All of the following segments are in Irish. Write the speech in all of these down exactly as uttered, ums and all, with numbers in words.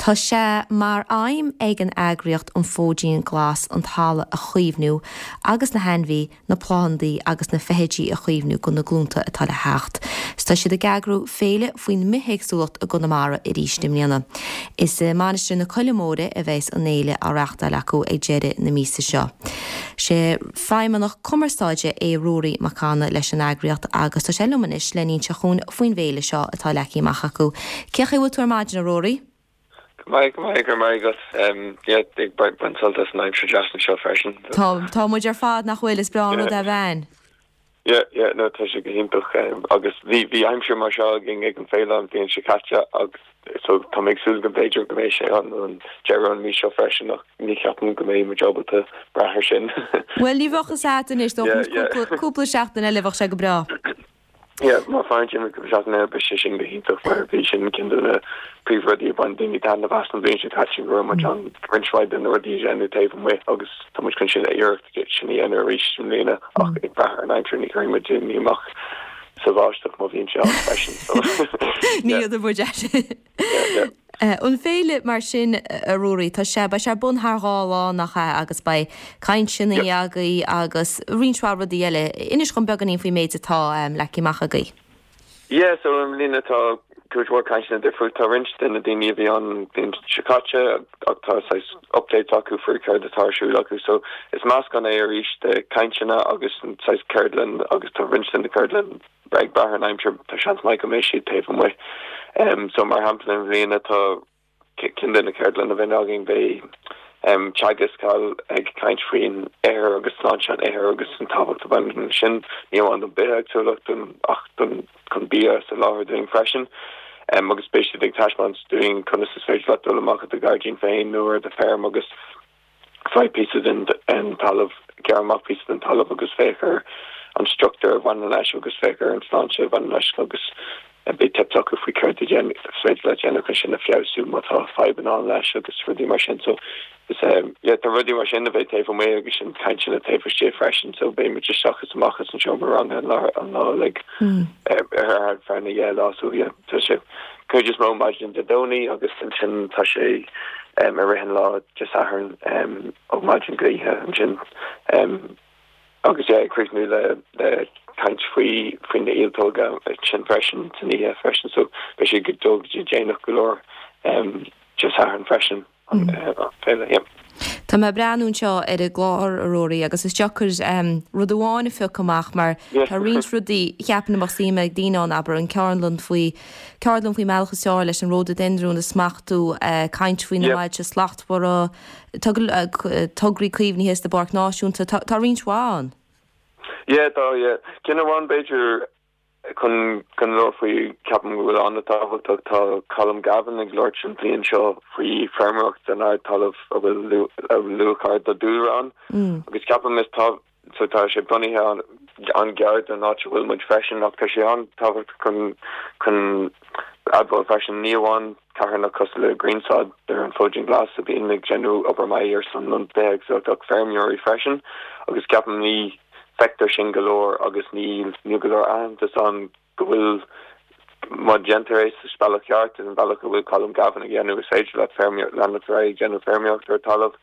Tá sé mar aidhm ag an eagraíocht an Fóidín Glas an talamh a chaomhnú agus na hainmhithe, na plandaí agus na feithidí a chaomhnú do na glúnta atá le theacht. Tá siad ag eagrú féile faoin mbithéagsúlacht i gConamara arís i mbliana. Is i Mainistir na Coille Móire a bheas an fhéile á reáchtáil acu ag deireadh na míosa seo. Sé feidhmeannach cumarsáide é Ruairí Mac Cana leis an eagraíocht agus tá sé liom anois le n-inse dhúinn faoin bhféile seo atá leagtha amach acu. Cén chaoi a bhfuil tú ar maidin a Ruairí? Maith maith go maith ag baint sult as an aimsir deas seo freisin. Tá tá muid ar fad nach bhfuil is breá an rud a bhean. Yeah, yeah, no tá sé go hiontach um, agus bhí bhí aimsir mar seo againn ag an féile an bhliain seo caite agus so tá mé ag súil go mb'fhéidir go mbeidh sé an an deireadh an mí seo freisin ach ní cheapaim go mbeidh muid ábalta brath air sin. Well ní bheadh a anois cúpla seachtain eile bheadh sé go breá. Yeah, má fan sin go seachtain be sé sin go hiontach mar bhí sin ceann de na príomhrudaí a bhain daoine taitneamh as an bhliain seo caite go raibh muid an roinnt mhaith de na rudaí a dhéanamh taobh amuigh agus tá muid chun sin iarracht sin a dhéanamh arís i mbliana ach ag brath ar an aimsir ní chuirfidh muid amach sa bháisteach má bhíonn sé ann freisin. Ní a bud An féile mar sin a Ruairí tá sé beidh sé ar bun thar dhá lá nach ea agus beidh cainteanna agaibh agus roinnt mhaith rudaí eile. Inis dom beagáinín faoin méid atá um, leagtha amach agaibh. Yeah, so i mbliana tá cuid mhór cainteanna difriúil tá roinnt de na daoine a bhí an bhliain seo caite ach tá saghas updates acu faoi céard atá ar siúl acu so is meascán é arís de cainteanna agus saghas ceardlann agus tá roinnt de na ceardlann ag brath ar an aimsir tá seans maith go mbeidh siad taobh amuigh. Um, so mar shampla i mbliana tá ceann de na ceardlanna a bheidh againn beidh um, Teagasc ag caint faoin ithir agus sláinte an ithir agus an tábhacht a bhaineann sin ní amháin don bithéagsúlacht ach don chun bia a sholáthar dúinn freisin. Um, agus beidh siad ag taispeáint dúinn conas is féidir leat dul amach i do ghairdín féin nó ar do feirm agus faigh píosa den an talamh gearr amach píosa den talamh agus féach ar an struchtúr a bhaineann leis agus féach ar an sláinte a bhaineann leis agus beidh tips acu faoi céard is féidir le déanamh chun sin a fheabhsú má tá fadhbanna ann leis agus rudaí mar sin so is um, yeah, tá rudaí mar sin a bheidh taobh amuigh agus sin cainteanna taobh istigh freisin so beidh muid isteach is amach as an seomra ranga an lá an lá like mm. ar feadh na dhá lá so yeah, tá sé cuid is mó maidin Dé Domhnaigh agus ansin tá sé um, ar rith an lá Dé Sathairn um, ó maidin go oíche ansin um, agus é críochnú le le caint faoi faoi na ialtóga sin freisin san oíche freisin so beidh sé go dul go déanach go leor um, Dé Sathairn freisin an mm. féile yeah. Tá mé ag breathnú anseo ar an gclár a Ruairí agus is deacair um, rud amháin a phiocadh amach mar tá roinnt rudaí cheapfainn a mbeadh suim ag daoine ann abair an ceardlann faoi ceardlann faoin mbealach is fearr leis an ródaideindriún a smachtú uh, caint faoi na bailte slachtmhara tograí caomhnaithe sa bPáirc Náisiúnta tá tá roinnt mhaith ann. Yeah, tá yeah. Ceann amháin b'fhéidir chun chun labhairt faoi ceapaim go bhfuil an-tábhachtach tá Colm Gavin ag labhairt an bhliain seo faoi feirmeoireacht san ardtalamh a bhfuil luach ard do dúlra ann Mm. agus ceapaim is tá so tá sé bunaithe an an-ghar don áit a bhfuil muid freisin ach tá sé an-tábhachtach chun chun admháil freisin ní amháin carthanachtaí cosúil le Griansod ar an Fóidín Glas a bhíonn ag déanamh obair maith ar son an bithéagsúlacht ach feirmeoirí freisin agus ceapaim ní feictear sin go leor agus ní ní go leor aitheantas ann go bhfuil má déantar é sa bealach ceart an bealach go bhfuil Colm Gavin ag déanamh is féidir le feirmeoir leanacht ar aghaidh ag déanamh feirmeoireacht ar talamh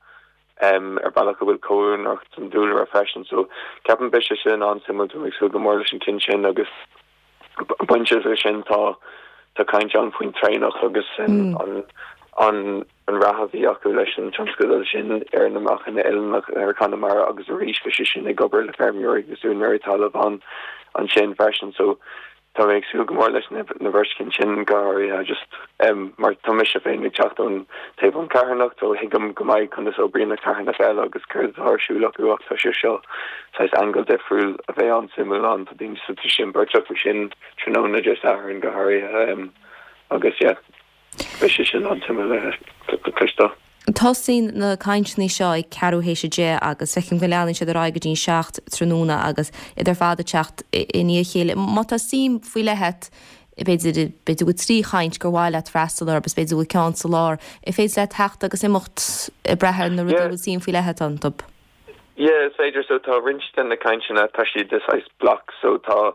um, ar bealach go bhfuil comhoiriúnach don dúlra freisin so ceapaim beidh sé sin an-suimiúil tá ag súil go mór leis an ceann sin agus bainte leis sin tá tá caint ann faoin traonach agus mm. an an an rath a bhí acu leis an tionscadal sin ar na meachain oileánach ar Conamara agus arís bhí sé sin ag obair le feirmeoirí agus úinéirí talaimh an ansin freisin so tá mé ag súil go mór leis na na bheirt cinn sin go háirithe just um, mar tá mise féin ag teacht ón taobh an carthanacht so tuigim go maith conas a oibríonn na carthanachtaí eile agus céard atá ar siúl acu ach tá sé seo saghas angle difriúil a bheidh an-suimiúil ann tá daoine sa sin beirt acu sin tráthnóna Dé Sathairn go háirithe um, agus yeah, beidh sé sin an-suimiúil le cloisteáil. Tosaíonn na cainteanna seo ag ceathrú théis a deich agus feicim go leanann siad ar aghaidh go dtí seacht tráthnóna agus iad ar fad ag teacht i ndiaidh a chéile. Má tá suim faoi leith agat b'fhéidir b'fhéidir go trí chaint gur mhaith leat freastal orthu b'fhéidir go ceann sa lár, is féidir leat teacht agus imeacht ag brath ar na rudaí Yeah. bhfuil suim faoi leith agat iontu. Yeah, is féidir so tá roinnt de na cainteanna tá siad de saghas block so tá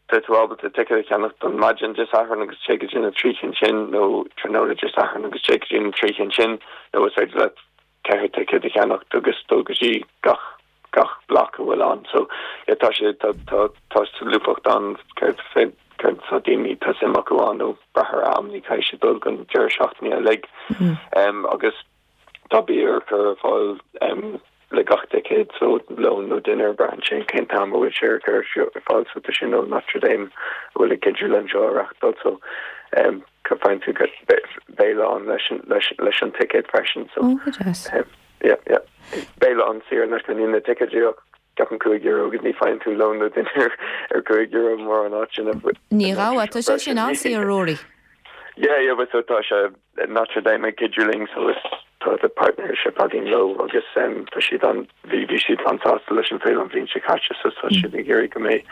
tá tú ábalta ticéad a cheannach don maidin Dé Sathairn agus téigh go dtí na trí cinn sin nó tráthnóna Dé Sathairn agus téigh go dtí na trí cinn sin nó is féidir leat ceithre ticéad a cheannacht agus dul go dtí gach gach bloc a bhfuil ann. So yeah, tá sé tá tá tá solúbthacht ann céard fé céard tá daoine tá suim acu ann nó brath ar am ní caithfidh siad dul don deireadh seachtaine uilig. Um, agus tá bia ar cur ar fáil um, le gach ticéad so lón nó dinnéar braitheann sé cén t-am a bhfuil sé ar cur ar fáil so tá sin ó Notre Dame a bhfuil ag cuidiú linn seo a reáchtáil so um, faigheann tú béile ann leis an leis leis an ticéad freisin so Ó, go deas. um, yeah, yeah. Béile ann saor in aisce níl na ticéid ach ceapaim cúig euro agus ní faigheann tú lón nó dinnéar ar cúig euro mór an áit sin Ní raibh tá sé sin an-saor Rory. Yeah, yeah, but so tá sé Notre Dame ag cuidiú linn so is tá the partnership againn leo agus um, tá siad an bhí bhí siad an-sásta leis an féile an bhliain seo caite so tá siad ag iarraidh go mbeidh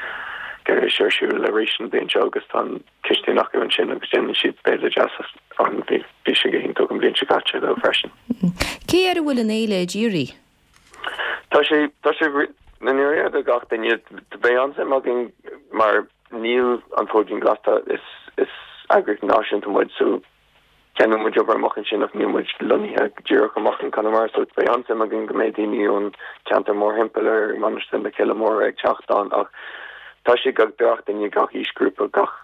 go mbeidh sé ar siúl arís an bhliain seo agus tá an cistín acu ansin agus déanann siad béile deas an bhí bhí sé go hiontach an bhliain seo caite leo freisin. Cé air a bhfuil an fhéile dírithe? Tá sé tá sé na nuair do gach duine beidh an-suim againn mar níl an Fóidín Glas is is eagraíocht náisiúnta muid so déanann muid obair amach ansin ach níl muid lonnaithe díreach amach in Conamara so beidh an-suim againn go mbeidh daoine ón ceantar mórthimpeall ar Mainistir na Cille Móire ag teacht ann ach tá sé go gach duine gach aoisghrúpa gach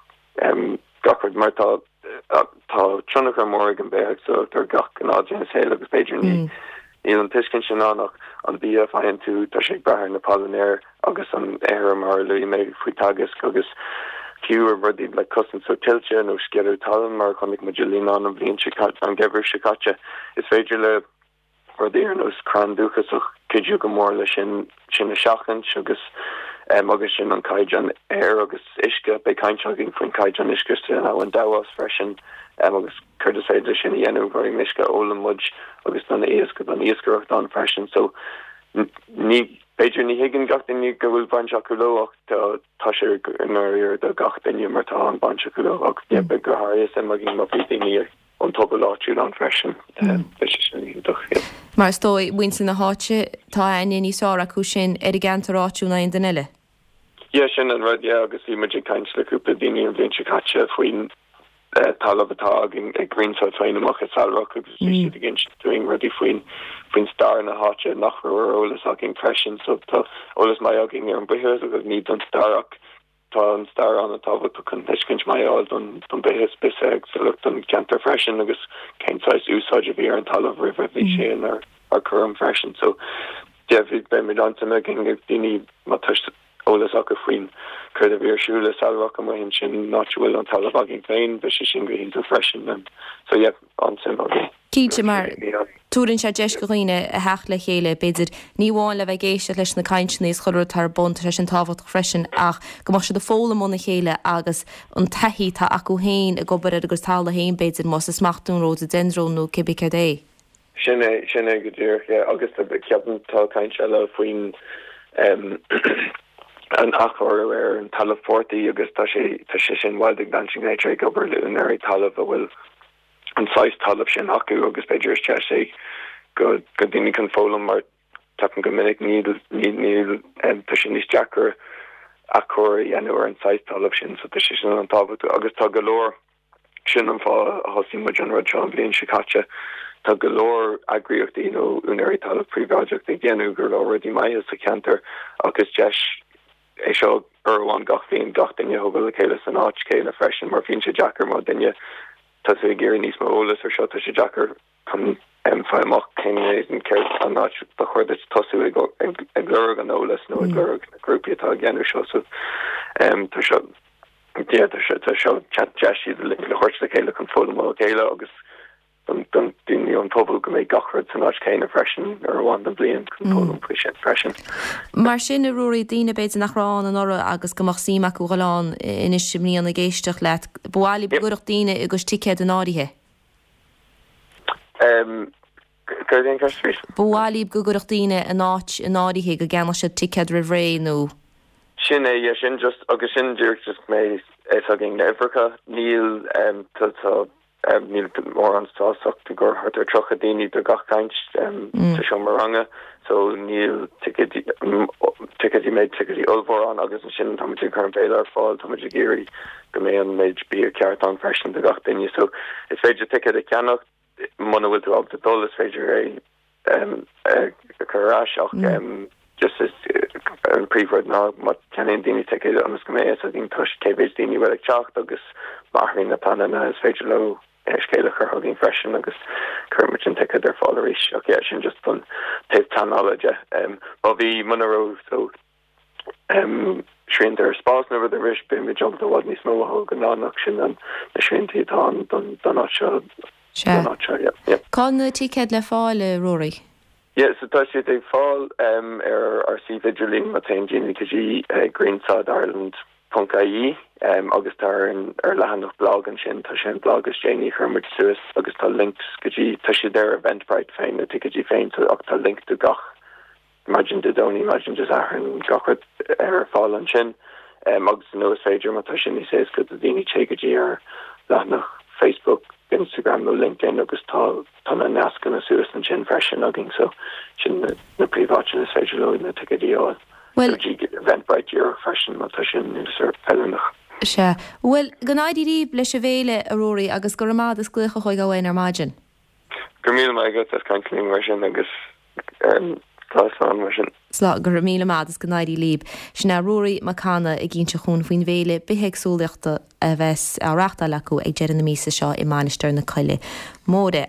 um, gach rud mar tá tá tionchar mór ag an bithéagsúlacht ar gach gnáth saol agus b'fhéidir ní mm. níl an tuiscint sin ann ach an bia a faigheann tú tá sé ag brath ar na pailneoirí agus an ithir mar a luaigh mé faoi Teagasc agus fiú ar rudaí le cosaint so tuilte nó scealladh talún mar chonaic muid líon an bhliain seo an geimhreadh seo caite is féidir le rudaí ar nós crann dúchasach cuidiú go mór le sin sin a sheachaint agus um, agus sin an caighdeán aer agus uisce beidh caint againn faoin caighdeán uisce san abhainn Dabhach freisin um, agus céard is féidir sin a dhéanamh gur uisce ólann muid agus don iasc don iascaireacht ann freisin so ní b'fhéidir ní thuigeann gach duine go bhfuil baint acu leo ach tá tá sé i do gach duine mar tá an baint acu leo ach mm. go háirithe má má bhí daoine an pobal áitiúil ann freisin beidh sé sin iontach. Mar is dóigh muintir na háite tá aithne níos fearr acu sin ar an gceantar áitiúil ná aon duine eile. Ja sin an rud yeah, agus bhí muid ag caint le cúpla daoine an bhliain seo caite faoin uh, talamh atá againn ag Greenside féin amach i Sailearach agus bhí siad ag insint dúinn rudaí faoin faoin stair na háite nach raibh ar eolas againn freisin so tá eolas maith againn ar an bithéagsúlacht agus ní don stair ach tá an stair an-tábhachtach chun tuiscint maith a fháil don don bithéagsúlacht don ceantar freisin agus cén saghas úsáid a bhí ar an talamh roimh bhí sé ar ar cúram freisin so yeah, bhí beidh an-suim againn ag daoine má tá eolas acu faoin céard a bhí ar siúl i Sailearach amuigh ansin nach bhfuil an talamh againn féin bheadh sé sin go hiontach freisin um, so yeah, an-suim againn. Cinnte mar tugann sé deis do dhaoine a theacht le chéile b'fhéidir ní amháin le bheith ag éisteacht leis na cainteanna is chuir tar bun sé sin tábhachtach freisin ach go mbeadh siad ag foghlaim óna chéile agus an taithí atá acu féin ag obair ar agus talamh féin b'fhéidir más is smachtún rhododendron nó cibé céard é. Sin é sin é go díreach agus ceapaim tá caint eile faoin um, an athchóiriú ar an talamh portaigh agus tá sé tá sé sin Wild Advancing Nature ag obair le úinéirí talamh a bhfuil an saghas talamh sin acu agus b'fhéidir is deis é go go daoine chun foghlaim mar ceapaim go minic níl níl tá sé níos deacra athchóiriú a dhéanamh ar an saghas talamh sin so tá sé sin an-tábhachtach agus tá go leor sin an fáth a thosaigh muid an rud seo an bhliain seo caite tá go leor eagraíochtaí nó úinéirí talamh príobháideach ag déanamh go leor rudaí maithe sa cheantar agus deis é seo amháin gach bliain gach duine a thug le chéile san áit chéanna freisin mar bíonn sé deacair má duine tá tú ag iarraidh níos mó eolas ar seo tá sé deacair chun fáil amach cén céard an áit ba chóir duit tosú ag ag lorg an eolas nó ag lorg na grúpaí atá ag déanamh seo so tá seo tá sé tá seo deis le thabhairt le chéile chun foghlaim ó chéile agus don don daoine an pobal go mbeidh gach rud san áit chéanna freisin ar amháin den bhliain chun foghlaim faoi sin freisin. Mar sin a Ruairí daoine b'fhéidir nach raibh ann anuraidh agus go mbeadh suim acu dhul ann anois i mbliana ag éisteacht leat, ba mhaith libh go gcuirfeadh daoine a gcuid ticéad in áirithe. Um, Céard an ceist? Ba mhaith libh go gcuirfeadh daoine in áit in áirithe go gceannódh siad ticéad roimh ré nó. Sin é yeah, sin just agus sin díreach just mé is againn na uimhreacha níl um, tá tá Níl mórán spás ach i gcomhair thart ar tríocha daoine do gach caint sa seomra ranga so níl ticéidí ticéidí méid ticéidí ollmhór ann agus ansin tá muid ag cur an béile ar fáil tá muid ag iarraidh go mbeidh an méid bia ceart ann freisin do gach duine so is féidir ticéad a cheannach muna bhfuil tú ábalta dul is féidir é a chur ar ais ach just is an príomhrud ná má cheannaíonn daoine ticéad ionas go mbeidh a fhios againn toisc cé mhéid daoine bhfuil ag teacht agus má athraíonn na pleananna is féidir leo scéal a chur chugainn freisin agus cuirfimid an ticéad ar fáil arís ach yeah sin just an taobh pleanála de. Má bhí muna raibh so srianta ar spás nó rud ar bith beimid ábalta i bhfad níos mó a thógáil ach sin an na srianta atá ann don don áit seo Sea. don áit seo yeah yeah. Cá bhfuil na ticéid le fáil a Ruairí? Yeah so tá siad ag fáil um, ar ár suíomh idirlín má théann daoine go dtí uh, greensidireland ponc ie um, agus tá ar an ar leathanach blog ansin tá sé an blog is déanaí a chuir muid suas agus tá links go dtí tá siad ar Eventbrite féin na ticéidí féin so ach tá link do gach maidin Dé Domhnaigh maidin Dé Sathairn gach rud ar fáil ansin um, agus nó is féidir má tá sin níos éasca do daoine téigh go dtí ar leathanach Facebook, Instagram nó LinkedIn agus tá tá na nascanna suas ansin freisin againn so sin na, na príomháiteanna is féidir leo na ticéidí a fháil. Well Eventbrite díreach freisin má tá sin níos feiliúnach. Sea. Bhuel, go n-éirí libh leis an bhféile a Ruairí agus go raibh maith agat as glaoch a thógáil uainn ar maidin. Go míle maith agat as caint linn mar sin agus um, tá slán mar sin. Slán go raibh míle maith agus go n-éirí libh. Sin é Ruairí Mac Cana ag inse dúinn faoin bhféile bithéagsúlachta a bheas á reáchtáil acu ag deireadh na míosa seo i Mainistir na Coille Móire.